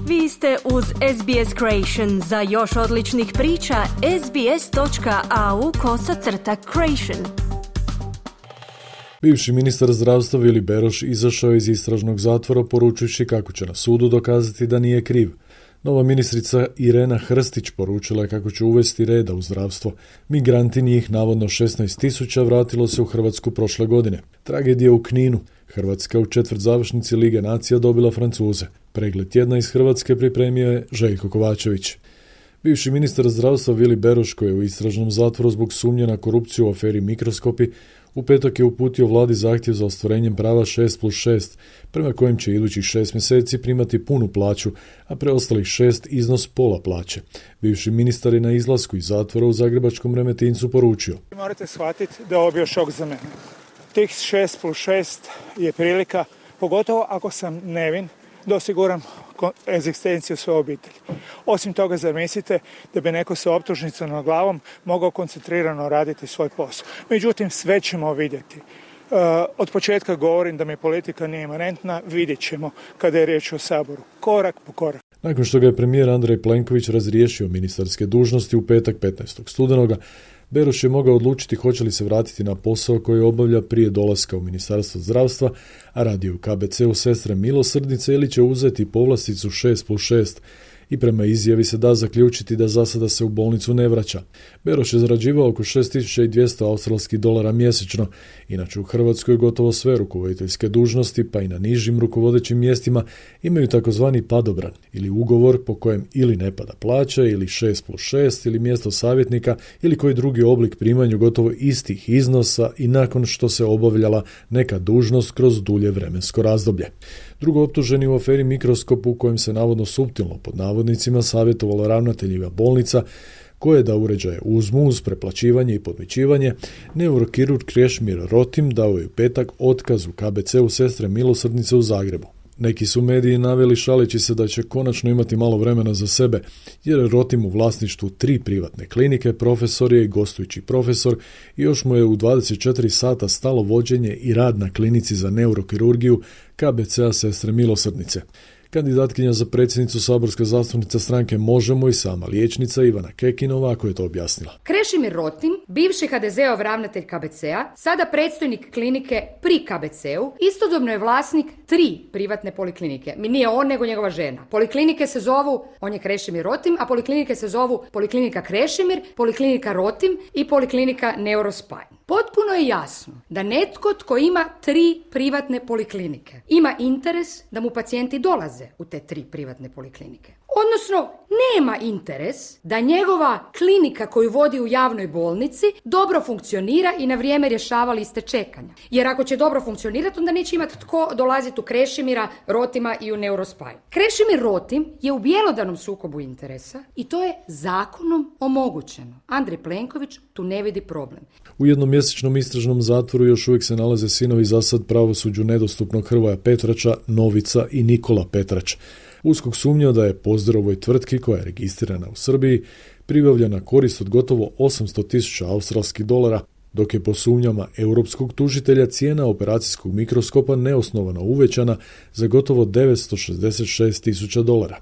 Vi ste uz SBS Creation. Za još odličnih priča, sbs.au/creation. Bivši ministar zdravstva Vili Beroš izašao je iz istražnog zatvora poručujući kako će na sudu dokazati da nije kriv. Nova ministrica Irena Hrstić poručila je kako će uvesti reda u zdravstvo. Migranti, njih navodno 16.000, vratilo se u Hrvatsku prošle godine. Tragedija u Kninu. Hrvatska u četvrtzavršnici Lige nacija dobila Francuze. Pregled tjedna iz Hrvatske pripremio je Željko Kovačević. Bivši ministar zdravstva Vili Beroš, koji je u istražnom zatvoru zbog sumnje na korupciju u aferi Mikroskopi, u petak je uputio vladi zahtjev za ostvarenjem prava 6+6, prema kojem će idućih 6 mjeseci primati punu plaću, a preostalih 6 iznos pola plaće. Bivši ministar je na izlasku iz zatvora u zagrebačkom Remetincu poručio: Morate shvatiti da je ovo bio šok za mene. Tih 6+6 je prilika, pogotovo ako sam nevin, da osiguram egzistenciju svoje obitelji. Osim toga, zar mislite da bi neko sa optužnicom na glavom mogao koncentrirano raditi svoj posao? Međutim, sve ćemo vidjeti. Od početka govorim da mi politika nije imanentna, vidjet ćemo kada je riječ o Saboru. Korak po korak. Nakon što ga je premijer Andrej Plenković razriješio ministarske dužnosti u petak 15. studenoga, Beroš je mogao odlučiti hoće li se vratiti na posao koji obavlja prije dolaska u Ministarstvo zdravstva, a radi u KBC-u Sestre Milosrdnice, ili će uzeti povlasticu 6+6 i prema izjavi se da zaključiti da za sada se u bolnicu ne vraća. Beroš je zarađivao oko $6.200 australskih dolara mjesečno. Inače u Hrvatskoj gotovo sve rukovoditeljske dužnosti, pa i na nižim rukovodećim mjestima, imaju takozvani padobran ili ugovor po kojem ili ne pada plaća ili 6+6 ili mjesto savjetnika ili koji drugi oblik primanju gotovo istih iznosa i nakon što se obavljala neka dužnost kroz dulje vremensko razdoblje. Drugo optuženi u aferi Mikroskop, u kojem se navodno suptilno pod navodnicima savjetovalo ravnateljima bolnica koje da uređaje uzmu uz preplaćivanje i podmićivanje, neurokirurg Krešimir Rotim dao je u petak otkaz u KBC-u Sestre Milosrdnice u Zagrebu. Neki su mediji naveli šaleći se da će konačno imati malo vremena za sebe, jer je Rotim u vlasništvu 3 privatne klinike, profesor je i gostujući profesor i još mu je u 24 sata stalo vođenje i rad na klinici za neurokirurgiju KBC-a Sestre Milosrdnice. Kandidatkinja za predsjednicu saborska zastupnica stranke Možemo i sama liječnica Ivana Kekin ovako je to objasnila. Krešimir Rotim, bivši HDZ-ov ravnatelj KBC-a, sada predstojnik klinike pri KBC-u, istodobno je vlasnik 3 privatne poliklinike. Nije on, nego njegova žena. Poliklinike se zovu, on je Krešimir Rotim, a poliklinike se zovu Poliklinika Krešimir, Poliklinika Rotim i Poliklinika Neurospine. Potpuno je jasno da netko tko ima 3 privatne poliklinike ima interes da mu pacijenti dolaze u te 3 privatne poliklinike. Odnosno, nema interes da njegova klinika koju vodi u javnoj bolnici dobro funkcionira i na vrijeme rješava liste čekanja. Jer ako će dobro funkcionirati, onda neće imati tko dolaziti u Krešimira, Rotima i u Neurospine. Krešimir Rotim je u bjelodanom sukobu interesa i to je zakonom omogućeno. Andrej Plenković tu ne vidi problem. U jednomjesečnom istražnom zatvoru još uvijek se nalaze sinovi zasad pravosuđu nedostupnog Hrvoja Petrača, Novica i Nikola Petrač. USKOK sumnja da je Pozderovoj tvrtki, koja je registrirana u Srbiji, pribavljena korist od gotovo 800.000 australskih dolara, dok je po sumnjama europskog tužitelja cijena operacijskog mikroskopa neosnovano uvećana za gotovo 966.000 dolara.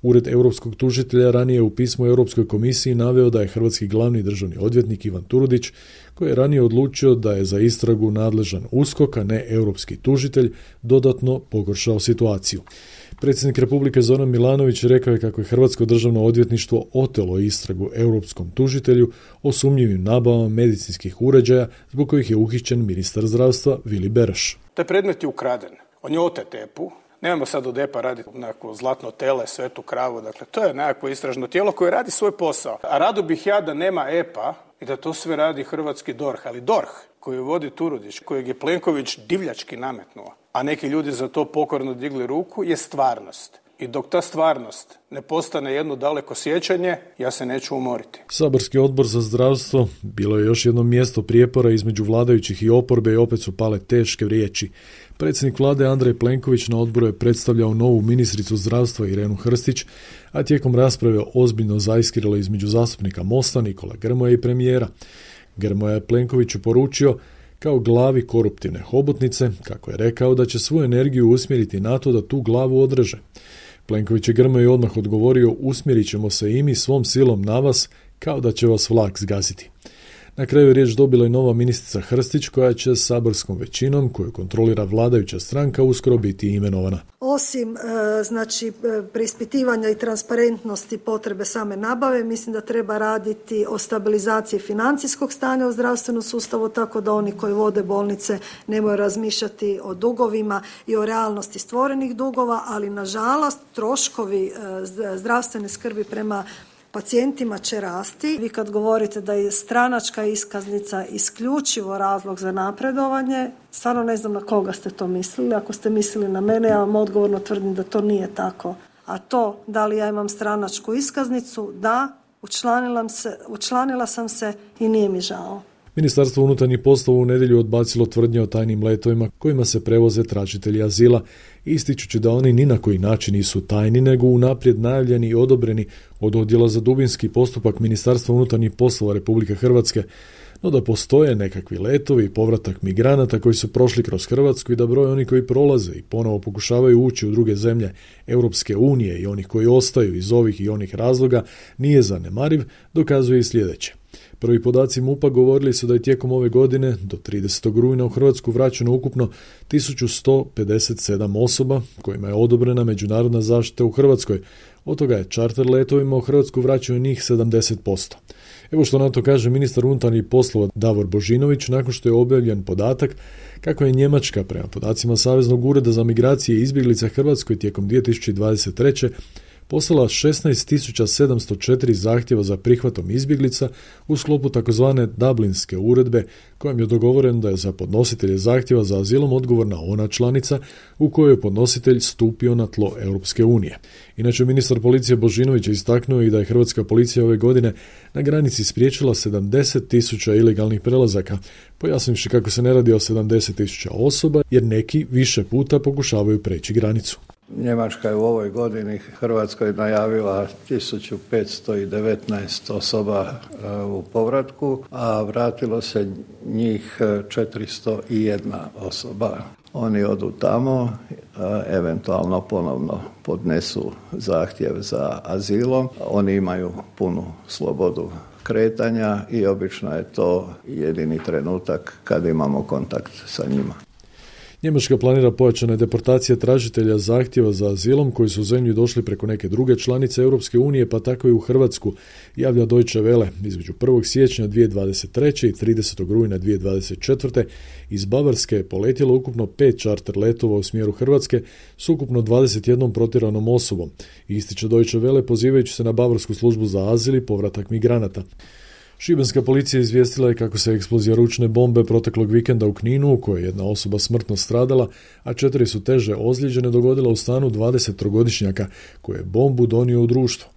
Ured europskog tužitelja ranije u pismu Europskoj komisiji naveo da je hrvatski glavni državni odvjetnik Ivan Turudić, koji je ranije odlučio da je za istragu nadležan USKOK, a ne europski tužitelj, dodatno pogoršao situaciju. Predsjednik Republike Zoran Milanović rekao je kako je Hrvatsko državno odvjetništvo otelo istragu europskom tužitelju o sumnjivim nabavama medicinskih uređaja zbog kojih je uhićen ministar zdravstva Vili Beroš. Taj predmet je ukraden. On je otet EPU. Nemamo sad od EPA raditi nekako zlatno tele, svetu kravu. Dakle, to je nekako istražno tijelo koje radi svoj posao. A rado bih ja da nema EPA i da to sve radi hrvatski DORH. Ali DORH koji vodi Turudić, kojeg je Plenković divljački nametnuo, a neki ljudi za to pokorno digli ruku, je stvarnost. I dok ta stvarnost ne postane jedno daleko sjećanje, ja se neću umoriti. Saborski odbor za zdravstvo bilo je još jedno mjesto prijepora između vladajućih i oporbe i opet su pale teške riječi. Predsjednik vlade Andrej Plenković na odboru je predstavljao novu ministricu zdravstva Irenu Hrstić, a tijekom rasprave ozbiljno zaiskriralo između zastupnika Mosta, Nikola Grmoje i premijera. Grmoja je Plenkoviću poručio kao glavi koruptivne hobotnice, kako je rekao, da će svoju energiju usmjeriti na to da tu glavu odreže. Plenković je Grmoji odmah odgovorio: usmjerit ćemo se i mi svom silom na vas kao da će vas vlak zgasiti. Na kraju je riječ dobila i nova ministrica Hrstić, koja će saborskom većinom, koju kontrolira vladajuća stranka, uskoro biti imenovana. Osim preispitivanja i transparentnosti potrebe same nabave, mislim da treba raditi o stabilizaciji financijskog stanja u zdravstvenom sustavu, tako da oni koji vode bolnice ne moraju razmišljati o dugovima i o realnosti stvorenih dugova, ali nažalost troškovi zdravstvene skrbi prema pacijentima će rasti. Vi kad govorite da je stranačka iskaznica isključivo razlog za napredovanje, stvarno ne znam na koga ste to mislili. Ako ste mislili na mene, ja vam odgovorno tvrdim da to nije tako. A to, da li ja imam stranačku iskaznicu, da, učlanila sam se i nije mi žao. Ministarstvo unutarnjih poslova u nedjelju odbacilo tvrdnje o tajnim letovima kojima se prevoze tražitelji azila, ističući da oni ni na koji način nisu tajni, nego unaprijed najavljeni i odobreni od Odjela za dubinski postupak Ministarstva unutarnjih poslova Republike Hrvatske, no da postoje nekakvi letovi i povratak migranata koji su prošli kroz Hrvatsku i da broj oni koji prolaze i ponovo pokušavaju ući u druge zemlje Europske unije i onih koji ostaju iz ovih i onih razloga nije zanemariv, dokazuje i sljedeće. Prvi podaci MUP-a govorili su da je tijekom ove godine do 30. rujna u Hrvatsku vraćeno ukupno 1157 osoba kojima je odobrena međunarodna zaštita u Hrvatskoj. Od toga je čarter letovima u Hrvatsku vraćeno njih 70%. Evo što na to kaže ministar unutarnjih poslova Davor Božinović nakon što je objavljen podatak kako je Njemačka prema podacima Saveznog ureda za migracije i izbjeglice Hrvatskoj tijekom 2023. poslala 16.704 zahtjeva za prihvatom izbjeglica u sklopu takozvane Dublinske uredbe, kojom je dogovoreno da je za podnositelje zahtjeva za azilom odgovorna ona članica u kojoj je podnositelj stupio na tlo Europske unije. Inače, ministar policije Božinović je istaknuo i da je hrvatska policija ove godine na granici spriječila 70.000 ilegalnih prelazaka, pojasnivši kako se ne radi o 70.000 osoba, jer neki više puta pokušavaju preći granicu. Njemačka je u ovoj godini Hrvatskoj najavila 1519 osoba u povratku, a vratilo se njih 401 osoba. Oni odu tamo, eventualno ponovno podnesu zahtjev za azilom. Oni imaju punu slobodu kretanja i obično je to jedini trenutak kad imamo kontakt sa njima. Njemačka planira pojačane deportacije tražitelja zahtjeva za azilom koji su u zemlju došli preko neke druge članice Europske unije, pa tako i u Hrvatsku, javlja Deutsche Welle. Između 1. siječnja 2023. i 30. rujna 2024. iz Bavarske je poletjelo ukupno 5 čarter letova u smjeru Hrvatske s ukupno 21 protjeranom osobom. Ističe Deutsche Welle pozivajući se na Bavarsku službu za azil i povratak migranata. Šibenska policija izvijestila je kako se eksplozija ručne bombe proteklog vikenda u Kninu, u kojoj je jedna osoba smrtno stradala, a 4 su teže ozlijeđene, dogodila u stanu 23-godišnjaka koji je bombu donio u društvo.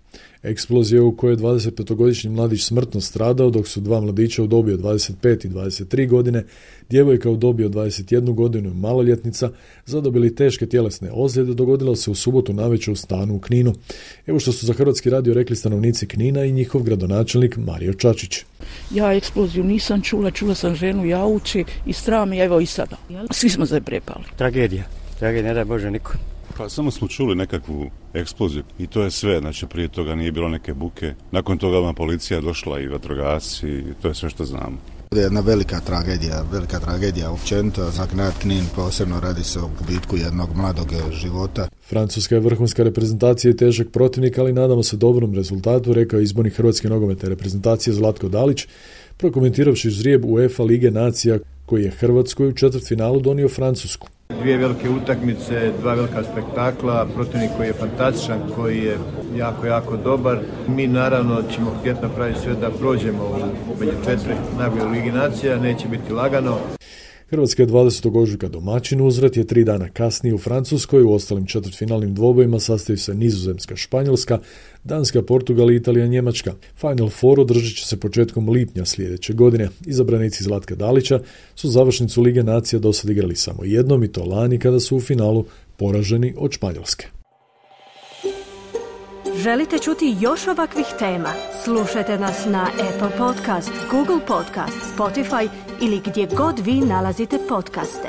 Eksplozija u kojoj je 25-godišnji mladić smrtno stradao, dok su 2 mladića u dobi od 25 i 23 godine, djevojka u dobi od 21 godinu i maloljetnica, zadobili teške tjelesne ozljede, dogodilo se u subotu navečer u stanu u Kninu. Evo što su za Hrvatski radio rekli stanovnici Knina i njihov gradonačelnik Mario Čačić. Ja eksploziju nisam čula sam ženu jauči i strah mi, evo i sada. Svi smo zaprepali. Tragedija, ne daj Bože niko. Pa samo smo čuli nekakvu eksploziju i to je sve, znači prije toga nije bilo neke buke. Nakon toga policija došla i vatrogasci i to je sve što znamo. Jedna velika tragedija općenito, za grad Knin posebno radi se o gubitku jednog mladog života. Francuska je vrhunska reprezentacija i težak protivnik, ali nadamo se dobrom rezultatu, rekao je izbornik hrvatske nogometne reprezentacije Zlatko Dalić, prokomentiravši ždrijeb UEFA Lige nacija koji je Hrvatskoj u četvrtfinalu donio Francusku. 2 velike utakmice, 2 velika spektakla, protivnik koji je fantastičan, koji je jako dobar. Mi naravno ćemo htjeti napraviti sve da prođemo među 4 najbolje u Ligi nacija, neće biti lagano. Hrvatska je 20. ožujka domaćin, uzvrat je 3 dana kasnije u Francuskoj. U ostalim četvrtfinalnim dvobojima sastaju se Nizozemska, Španjolska, Danska, Portugal i Italija, Njemačka. Final Four održat će se početkom lipnja sljedeće godine. Izabranici Zlatka Dalića su završnicu Lige nacija dosad igrali samo jednom, i to lani kada su u finalu poraženi od Španjolske. Želite čuti još ovakvih tema? Slušajte nas na Apple Podcast, Google Podcast, Spotify ili gdje god vi nalazite podcaste.